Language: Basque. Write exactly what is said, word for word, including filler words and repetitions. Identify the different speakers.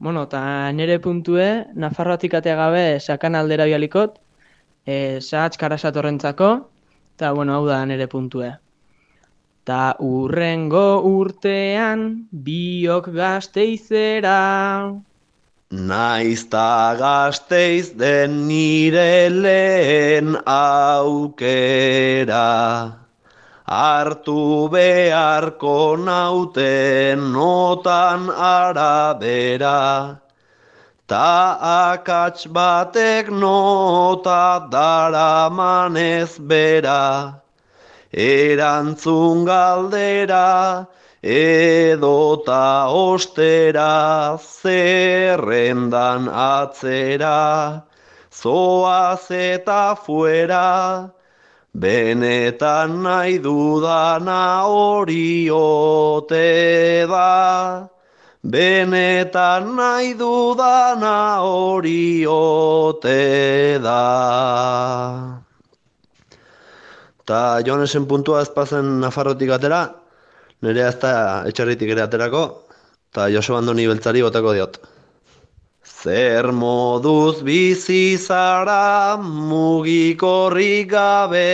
Speaker 1: Bueno, eta nire puntue, Nafarroatik atea gabe sakan aldera bialikot, e, sahatz karasatorrentzako, eta bueno, hau da nire puntue. Ta urrengo urtean, biok gazteizera.
Speaker 2: Naizta Gasteiz den nire lehen aukera, hartu beharko nauten notan arabera, ta akats batek nota daramanez bera, erantzun galdera, edota ostera, zerrendan atzera, zoaz eta fuera, benetan nahi dudana hori ote da, benetan nahi dudana hori ote da. Ta Jonesen puntua ez pazen Nafarrotik atera, nerea ez da etxarritik ere aterako, eta Joseba Andoni beltzari botako diot. Zer moduz bizi zara mugikorrik gabe,